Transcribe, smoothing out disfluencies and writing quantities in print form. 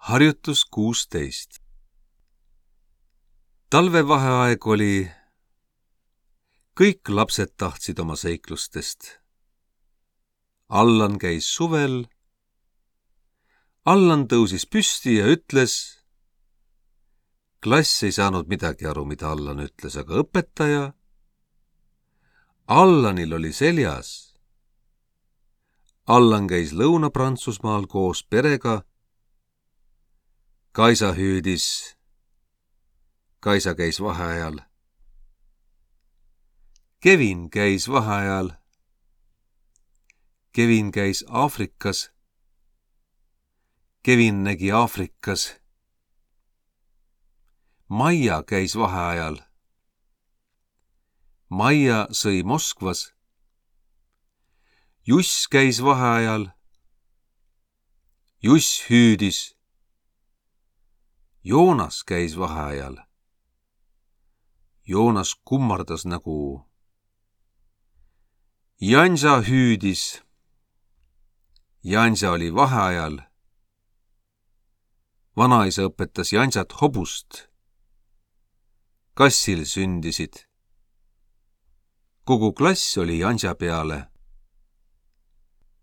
Harjutus 16. Talvevaheaeg oli. Kõik lapsed tahtsid oma seiklustest. Allan käis suvel. Allan tõusis püsti ja ütles. Klass ei saanud midagi aru, mida Allan ütles, aga õpetaja. Allanil oli seljas. Allan käis Lõuna-Prantsusmaal koos perega. Kaisa hüüdis. Kaisa käis vaheajal. Kevin käis vaheajal. Kevin käis Aafrikas. Kevin nägi Aafrikas. Maia käis vaheajal. Maia sõi Moskvas. Juss käis vaheajal. Juss hüüdis. Joonas käis vaheajal. Joonas kummardas nägu. Jansa hüüdis. Jansa oli vaheajal. Vanaisa õpetas Jansat hobust. Kassil sündisid. Kogu klass oli Jansa peale.